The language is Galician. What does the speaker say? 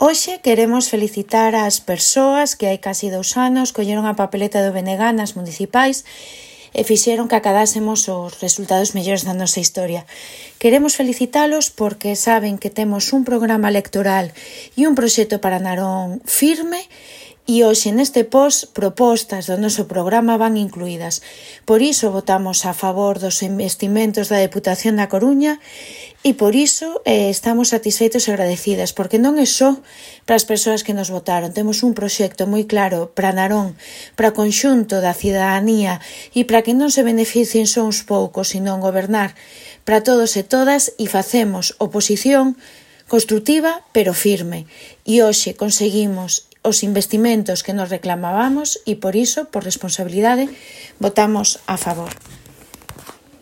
Hoxe queremos felicitar ás persoas que hai casi 2 anos colleron a papeleta do BNG nas municipais e fixeron que acadásemos os resultados mellores da nosa historia. Queremos felicitalos porque saben que temos un programa electoral e un proxecto para Narón firme e hoxe neste post propostas do noso programa van incluídas. Por iso votamos a favor dos investimentos da Deputación da Coruña e por iso estamos satisfeitos e agradecidas, porque non é só para as persoas que nos votaron. Temos un proxecto moi claro para Narón, para o conxunto da cidadanía e para que non se beneficien só uns poucos, sino gobernar para todos e todas e facemos oposición construtiva pero firme. E hoxe conseguimos os investimentos que nos reclamábamos e por iso, por responsabilidade, votamos a favor.